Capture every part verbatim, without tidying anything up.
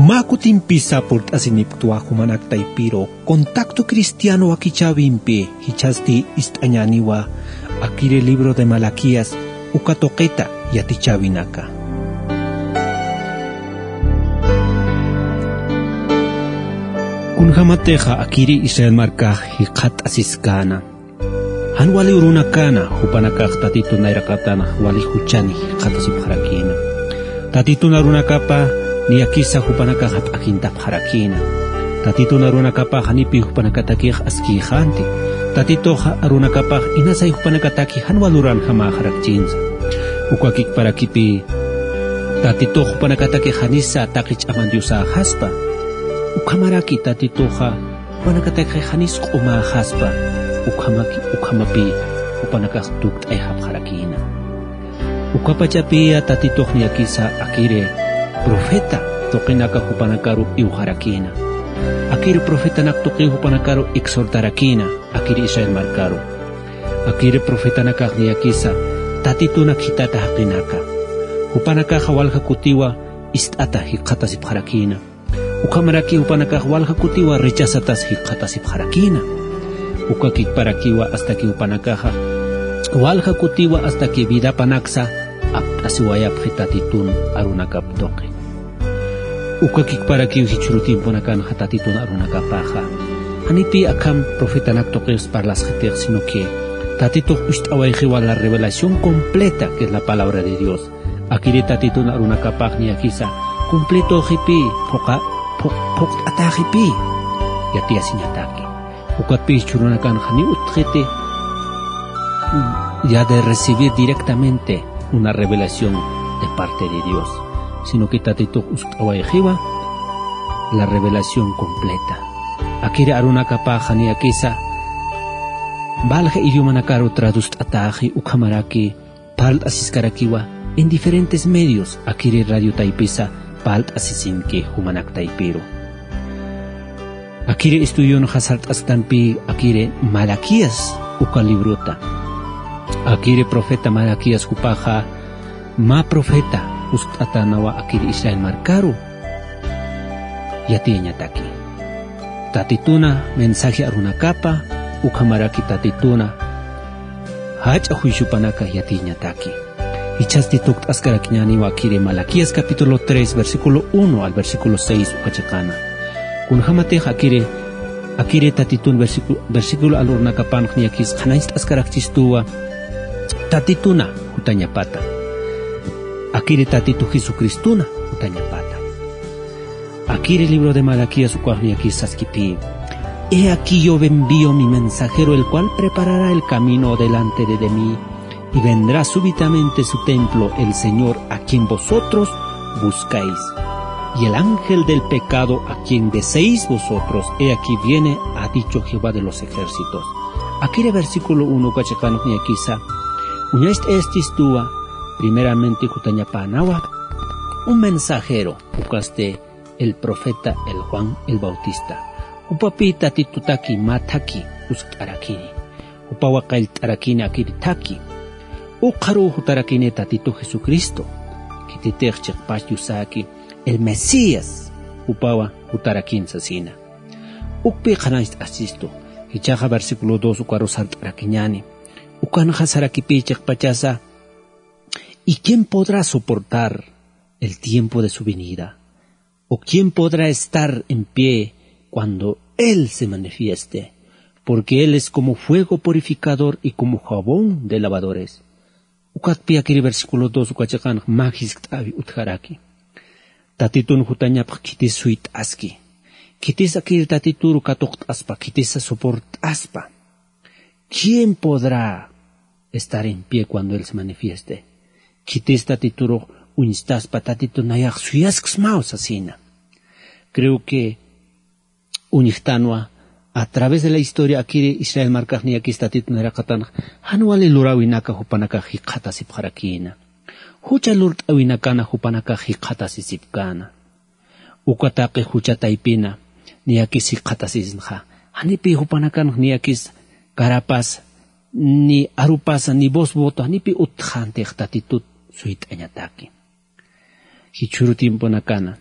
Mä kutimpisa purt'asinipktwa jumanak taypiru Contacto Cristiano wakichäwimpi, jichhasti ist'añäniwa akiri libro de Malaquías uka tuqita yatichäwinaka. Kunjamatixa akiri Israel markax jikxatt'asiskäna. Jan wali urunakäna, jupanakax Tatitun nayraqatanx wali juchani jikxatasipxarakïna. Tatitun arunakapa niyakisa jupanakax jap'akintapxarakïna. Tatitun arunakapax janipï jupanakatakix askïxänti. Tatitux arunakapax inasay jupanakataki jan wal uranjamäxarakchinsa. Uka kikparakipï Tatitux jupanakatakix janisa taqi ch'aman diosäxaspa. Ukhamaraki Tatituxa jupanakatakix janis q'umäxaspa, ukhamaki-, ukhamapï jupanakax tukt'ayxapxarakïna. Ukapachapïya Tatitux niyakisa akiri profeta tuqinaka jupanakaru iwxarakïna. Akiri profetanak tuqiw jupanakaru exhortarakïna, akiri Israel markaru. Akiri profetanakax niyakisa Tatitunak jitata jaqinaka. Jupanakaxa walja kutiwa ist'ata jikxatasipxarakïna. Ukhamaraki jupanakax walja kutiwa rechazatas jikxatasipxarakïna. Uka kikparakiwa hasta que jupanakaxa walja kutiwa hasta que vidapanaksa apt'asiwayapxi Tatitun arunakap tuqi. Uka kikparakiw jichhüru tiemponakanxa Tatitun arunakapaxa janipï akham profetanak tuqis parlasxitix, sino que Tatitux ucht'awayxiwa la revelación completa, que es la palabra de Dios. Akiri Tatitun arunakapax niyakisa, cumplitüxipï, phuqa-, phu-, phuqt'atäxipï, yatiyasiñataki. Ukatpï jichhürunakanxa ni utjxiti, ya de recibir directamente una revelación de parte de Dios, sino que Tatitux usk'awayxiwa la revelación completa. Akiri arunakapaxa niyakisa, valja idiomanakaru traduct'atäxi, ukhamaraki parlt'asiskarakiwa en diferentes medios, akiri radio taypisa parlt'asisinki jumanak taypiru. Akiri estudionxa sart'asktanpï akiri Malaquías uka librota. Akiri profeta Malaquías jupaxa mä profeta uskt'atänawa akiri Israel markaru. Yatiyañataki Tatituna mensaje arunakapa, ukhamaraki Tatituna jach'a juiciopanaka yatiyañataki. Jichhasti tukt'askarakiñäniwa akiri Malaquías capítulo tres, versículo uno al versículo seis uka chiqana. Kunjamatix akiri, akiri Tatitun versícu-, versículo alurnakapanx niyakis qhanañcht'askarakchistuwa Tatituna jutañapata. Akiri Tatitu Jesucristuna jutañapata. Akiri libro de Malaquías ukax niyakis saskipï: He aquí yo envío mi mensajero, el cual preparará el camino delante de, de mí, y vendrá súbitamente su templo, el Señor a quien vosotros buscáis, y el ángel del pecado a quien deseéis vosotros, he aquí viene, ha dicho Jehová de los ejércitos. Akiri versículo uno uka chiqanx niyakisa uñacht'ayaskistuwa, primeramente jutañapänawa un mensajero, ukasti el profeta el Juan el Bautista. Jupapï Tatitutaki mä thaki uskt'arakini. Jupawa qallt'arakini akiri thaki. Ukxaruw jutarakini Tatitu Jesucristo. Khititix chiqpach Diosaki el Mesías, jupawa jutarakin sasina. Ukpï qhanañcht'asistu. Jichhaxa versículo dos ukaru sart'arakiñäni. Ukanxa sarakipï chiqpachasa: ¿Y quién podrá soportar el tiempo de su venida? ¿O quién podrá estar en pie cuando Él se manifieste? Porque Él es como fuego purificador y como jabón de lavadores. Ukatpï akiri versículo dos uka chiqanx mä jiskt'äwi utjaraki. Tatitun jutañapx khitis suyt'aski. Khitis akiri Tatituru katuqt'aspa, khitisa soport'aspa. ¿Quién podrá estar en pie cuando Él se manifieste? Khitis Tatiturux uñstaspa, Tatitu nayax suyaskismaw sasina. Creo que uñjtanwa, a través de la historia akiri Israel markax niyakis Tatitu nayraqatanx jan wali luräwinaka jupanakax jikxatasipxarakïna. Jucha lurt'äwinakana jupanakax jikxatasisipkäna. Uka taqi jucha taypina niyakis jikxatasisinxa, janipï jupanakanx niyakis carapasa, ni arupasa, ni voz voto, janipï utjxäntix Tatitut suyt'añataki. Jichhüru tiemponakana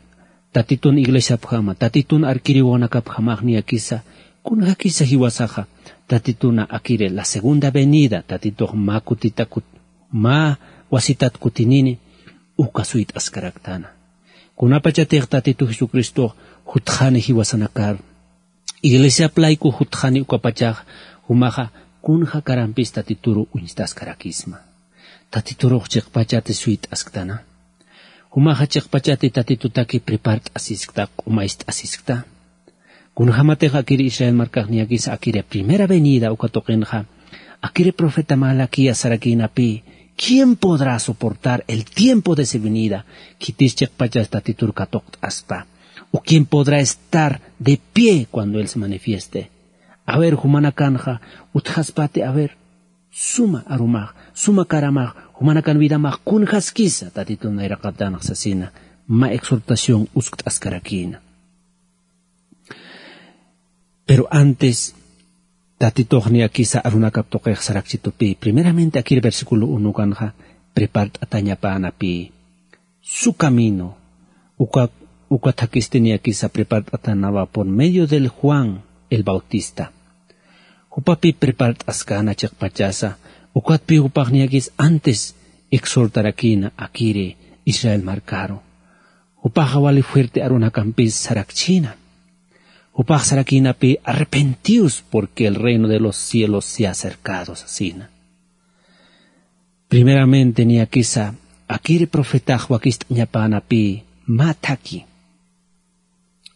Tatitun iglesiapjama, tatitun arkiriwanakapjamax niyakisa, kunjakisa jiwasaxa, tatituna akiri la segunda venida, tatitux mä kutitakut, mä wasitat kutinini, uka suyt'askaraktana. Kunapachatix tatitu Jesucristox jutxani jiwasanakar, iglesiap layku jutxani ukapachax, jumaxa kunja karampis tatituru uñstaskarakisma. Tatiturux chiqpachati suyt'asktana. Jumaxa chiqpachati tatitutaki prepart'asiskta, q'umayst'asiskta. Kunjamatix akiri Israel markax niyakisa akiri primera venida uka tuqinxa, akiri profeta Malaquías sarakïnapï, ¿quién podrá soportar el tiempo de su venida? Khitis chiqpachas tatitur katuqt'aspa. ¿O quién podrá estar de pie cuando él se manifieste? A ver, jumanakanxa utjaspati, a ver, suma arumax, suma karamax, jumanakan vidamax kunjaskisa tatitun nayraqatanx sasina, mä exhortación uskt'askarakïna. Pero antes, tatitux niyakisa arunakap tuqix sarakchitupï, primeramente akir versículo uno kanxa, prepart'atañapänapï. Su camino, uka, uka thakhisti niyakisa prepart'atanawa por medio del Juan el Bautista. Jupapï prepart'askäna chiqpachasa, ukatpï jupax niyakis antes exhortarakïna akiri Israel markaru. Jupaxa wali fuerte arunakampis sarakchïna. Jupax sarakïnapï arrepentidos porque el reino de los cielos se ha acercado sasina. Primeramente niyakisa, akiri profetax wakist'añapänapï mä thakhi.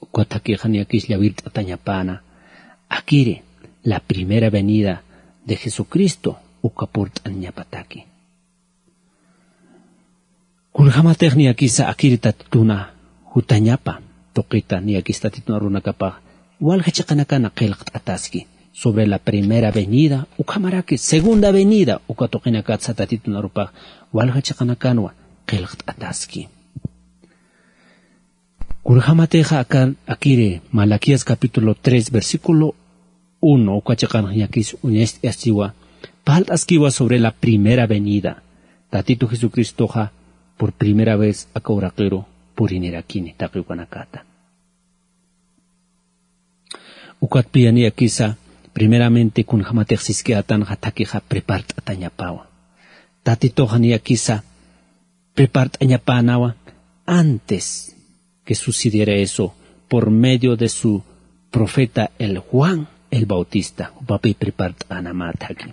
Uka thakhixa niyakis llawirt'atañapäna, akiri la primera venida de Jesucristo uka purt'añapataki. Kunjamatix niyakisa akiri tatituna jutañapa tuqita niyakis tatitun arunakapax walja chiqanakana qillqt'ataski sobre la primera venida, ukhamaraki segunda venida uka tuqinakatsa tatitun arupax walja chiqanakanwa qillqt'ataski. Kunjamatixa akiri Malaquías capítulo tres versículo uno uka chiqanx niyakis uñacht'askiwa, parlt'askiwa sobre la primera venida. Tatitu Jesucristoxa por primera vez aka uraqiru purinirakini taqi ukanakata. Ukatpï niyakisa primeramente kunjamatix siskïtanxa thakhixa prepart'atañapawa. Tatituxa niyakisa prepart'añapänawa antes que sucediera eso por medio de su profeta el Juan el Bautista, jupapï prepart'änama thakhi.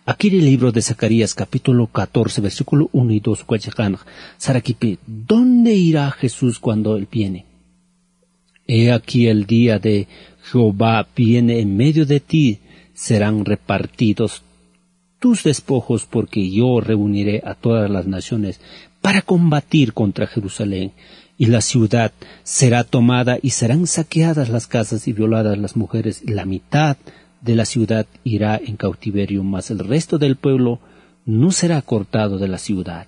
Akiri libro de Zacarías capítulo catorce versículo uno y dos uka chiqanx sarakipï, ¿dónde irá Jesús cuando él viene? He aquí el día de Jehová viene en medio de ti, serán repartidos tus despojos, porque yo reuniré a todas las naciones para combatir contra Jerusalén, y la ciudad será tomada y serán saqueadas las casas y violadas las mujeres, y la mitad de la ciudad irá en cautiverio, mas el resto del pueblo no será cortado de la ciudad.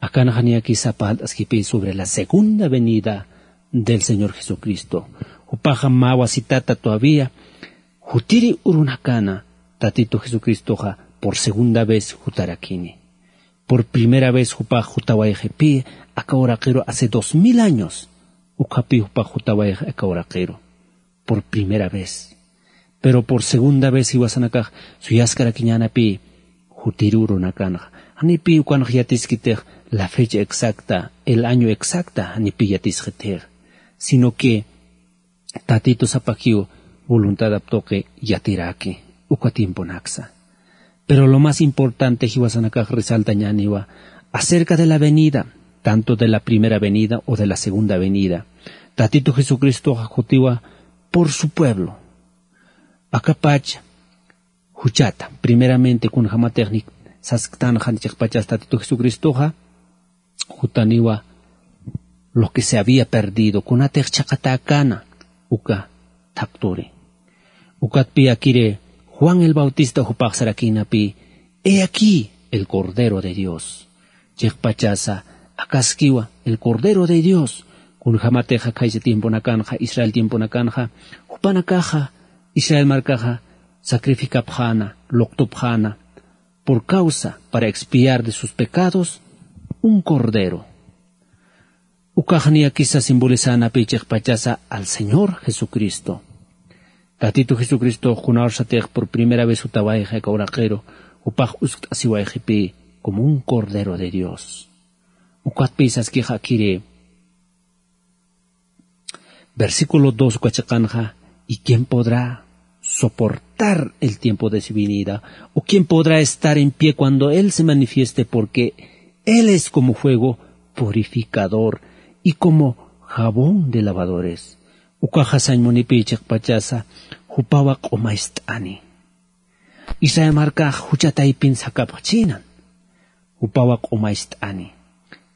Akanxa niyakisa parlt'askipï sobre la segunda venida del Señor Jesucristo. Jupaxa mä wasitata todavía jutiri urunakana, tatitu Jesucristoxa por segunda vez jutarakini. Por primera vez jupax jutawayxipï aka uraqiru hace dos mil años, ukhapï jupax jutawayxi aka uraqiru por primera vez. Pero por segunda vez jiwasanakax suyaskarakiñänapï jutiri urunakanxa. Janipï ukanx yatiskitix la fecha exacta, el año exacta, janipï yatisxitix. Sino que tatitu sapakiw voluntadap tuqi yatiraki uka tiemponaksa. Pero lo más importante jiwasanakax resaltañäniwa acerca de la venida, tanto de la primera venida o de la segunda venida. Tatitu Jesucristoxa jutiwa por su pueblo. Akapach juchata, primeramente kunjamatix nik sasktanxa chiqpachas tatitu Jesucristoxa, jutaniwa lo que se había perdido, kunatix chhaqatäkäna uka thakturi. Ukatpï akiri Juan el Bautista jupax sarakïnapï, he aquí el Cordero de Dios. Chiqpachasa akaskiwa el Cordero de Dios. Kunjamatix khaysa tiemponakanxa, Israel tiemponakanxa, jupanakaxa, Israel markaxa sacrificapxäna, luqtupxäna, por causa, para expiar de sus pecados, un cordero. Ukax niyakisa simbolizanapï chiqpachasa al Señor Jesucristo. Tatitu Jesucristo kunarsatix por primera vez jutawayxi aka uraqiru, jupax uskt'asiwayxipï como un Cordero de Dios. Ukatpï saskixakiri, versículo dos uka chiqanxa, ¿y quién podrá soportar el tiempo de su venida? ¿O quién podrá estar en pie cuando Él se manifieste? Porque Él es como fuego purificador y como jabón de lavadores. Ukaxa sañ munipï chiqpachasa, jupawa q'umayst'ani. Israel markax jucha taypin sakapxchïnan. Jupawa q'umayst'ani.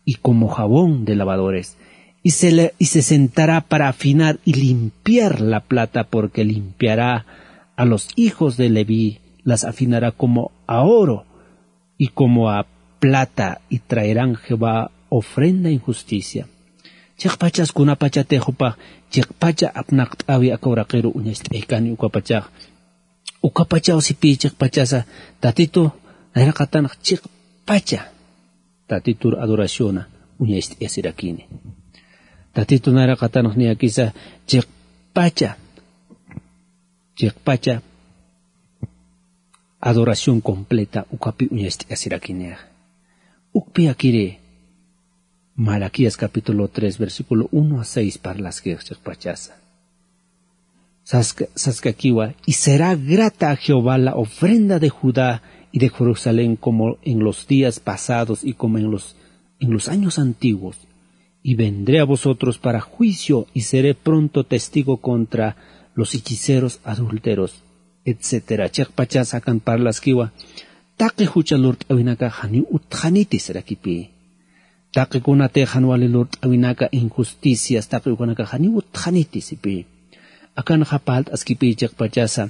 Y como jabón de lavadores. Y se le, y se sentará para afinar y limpiar la plata, porque limpiará a los hijos de Leví, las afinará como a oro y como a plata, y traerán Jehová ofrenda en justicia. Chiqpachas kunapachatix jupax, chiqpacha apnaqt'awi aka uraqiru uñacht'aykani ukapachax. Ukapachaw sipï chiqpachasa, Tatitu nayraqatanx chiqpacha Tatitur adoraciona uñacht'ayasirakini. Tatitu nayraqatanx niyakisa chiqpacha, chiqpacha adoración completa ukapi uñacht'ayasirakinixa. Ukpï akiri Malaquías capítulo tres, versículo uno a seis parlaskix chiqpachasa. Saska-, saskakiwa, y será grata a Jehová la ofrenda de Judá y de Jerusalén como en los días pasados y como en los, en los años antiguos. Y vendré a vosotros para juicio y seré pronto testigo contra los hechiceros, adúlteros, etcétera. Chiqpachas akan parlaskiwa, taqi jucha lurt'awinakax janiw utxaniti sarakipï. Taqi kunatix jan wali lurt'awinaka, injusticias, taqi ukanakax janiw utxaniti sipï. Akanxa parlt'askipï chiqpachasa,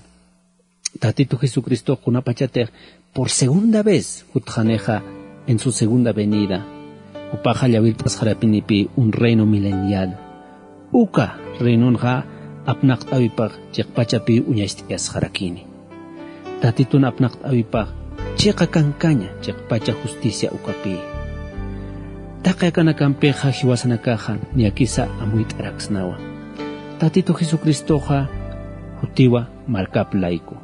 Tatitu Jesucristo kunapachatix por segunda vez jutxanixa, en su segunda venida, jupaxa llawirt'asxarapinipï un reino milenial. Uka reinonxa apnaqt'äwipax chiqpachapï uñacht'ayasxarakini. Tatitun apnaqt'äwipax chiqa kankaña chiqpacha justicia ukapï. Taqi akanakampixa jiwasanakaxa niyakisa amuyt'araksnawa. Tatitu Jesucristoxa jutiwa markap layku.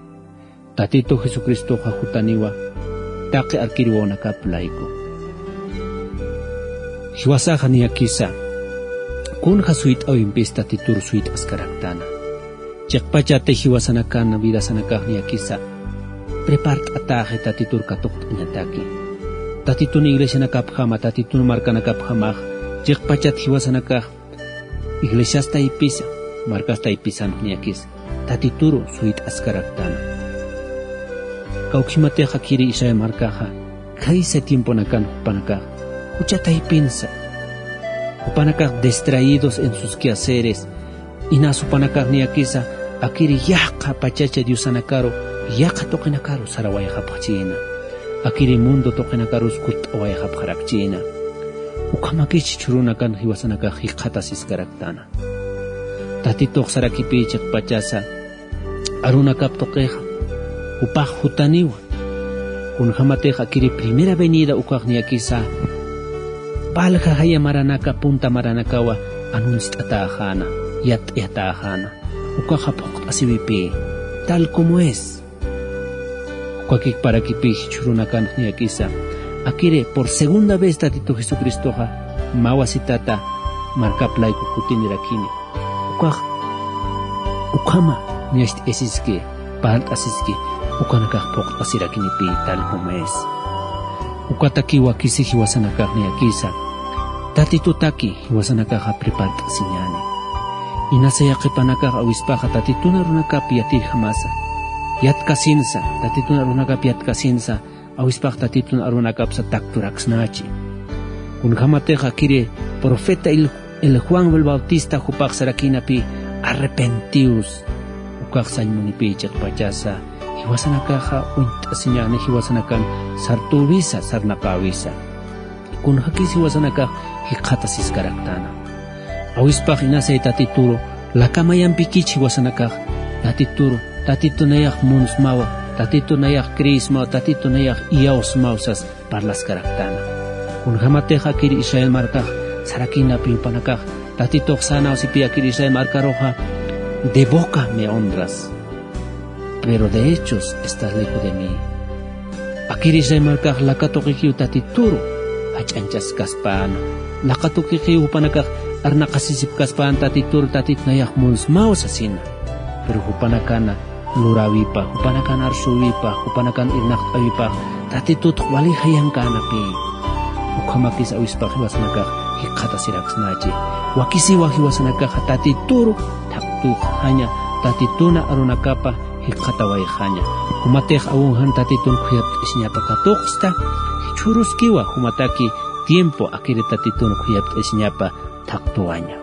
Tatitu Jesucristoxa jutaniwa taqi arkir wawanakap layku. Jiwasaxa niyakisa kunja suyt'äwimpis Tatitur suyt'askaraktana. Chiqpachati jiwasanakan vidasanakax niyakisa prepart'atäxi Tatitur katuqt'añataki. Tatitun iglesianakapjama, Tatitun markanakapjamax chiqpachat jiwasanakax iglesias taypisa, markas taypisan niyakis Tatituru suyt'askaraktana. Kawkhimatix akiri Israel markaxa khaysa tiemponakan jupanakax jucha taypinsa, jupanakax distraídos en sus quehaceres, inas jupanakax niyakisa akiri yaqha pachacha diosanakaru, yaqha tuqinakaru sarawayxapxchïna. Akiri mundo tuqinakarus kutt'awayxapxarakchïna. Ukhamakis jichhürunakan jiwasanakax jikxatasiskaraktana. Tatitux sarakipï chiqpachasa arunakap tuqixa, jupax jutaniwa. Kunjamatix akiri primera venida ukax niyakisa, valja jaya maranaka, punta maranakawa anunciatäxäna, yatt'ayatäxäna. Ukaxa phuqt'asiwipï, tal como es. Ukakikparakipï jichhürunakan niyakisa, akiri por segunda vez Tatitu Jesucristoxa mä wasitata markap layku kutinirakini. Ukax, ukhama niyacht'ayasiski, parlt'asiski, ukanakax phuqt'asirakinipi tal como es. Ukatakiwa kisi jiwasanakax niyakisa, Tatitutaki jiwasanakaxa prepart'asiñäni. Inasa yaqhipanakax awispaxa Tatitun arunakap yatirjamasa, yatkasinsa, Tatitun arunakap yatkasinsa, awispax Tatitun arunakapsa takturaksnachi. Kunjamatix akiri profeta el, el Juan el Bautista jupax sarakïnapï, arrepentiws. Ukax sañ munipï chiqpachasa, jiwasanakaxa uñt'asiñäni, jiwasanakan sartüwisa, sarnaqäwisa. Kunjakis jiwasanakax jikxatasiskaraktana. Awispax inasay Tatituru lakamayampikich jiwasanakax, Tatituru, Tatitu nayax munsmawa, Tatitu nayax creesmawa, Tatitu nayax iyawsmaw sas parlaskaraktana. Kunjamatix akiri Israel markax Sarakinapi jupanakax Tatitux sänawsipi akir Israel markaruxa: de boca me honras, pero de hechos estás lejos de mí. Akir Israel markax laka tuqikiw Tatituru jach'añchaskaspäna. Laka tuqikiw jupanakax arnaqasisipkaspäna Tatitur: Tatit, nayax munsmaw sasina. Pero jupanakana luräwipa, jupanakan arsüwipa, jupanakan irnaqt'äwipa Tatitutx wali jayankänapï. Ukhamakis awispax jiwasanakax jikxatasiraksnachi. Wakisiwa jiwasanakaxa Tatituru thaqtuxaña, Tatituna arunakapa jikxatawayxaña. Jumatix awinjan Tatitun khuyapt'asiñapa katuqsta, jichhüruskiwa jumataki tiempo akiri Tatitun khuyapt'asiñapa thaqtuwaña.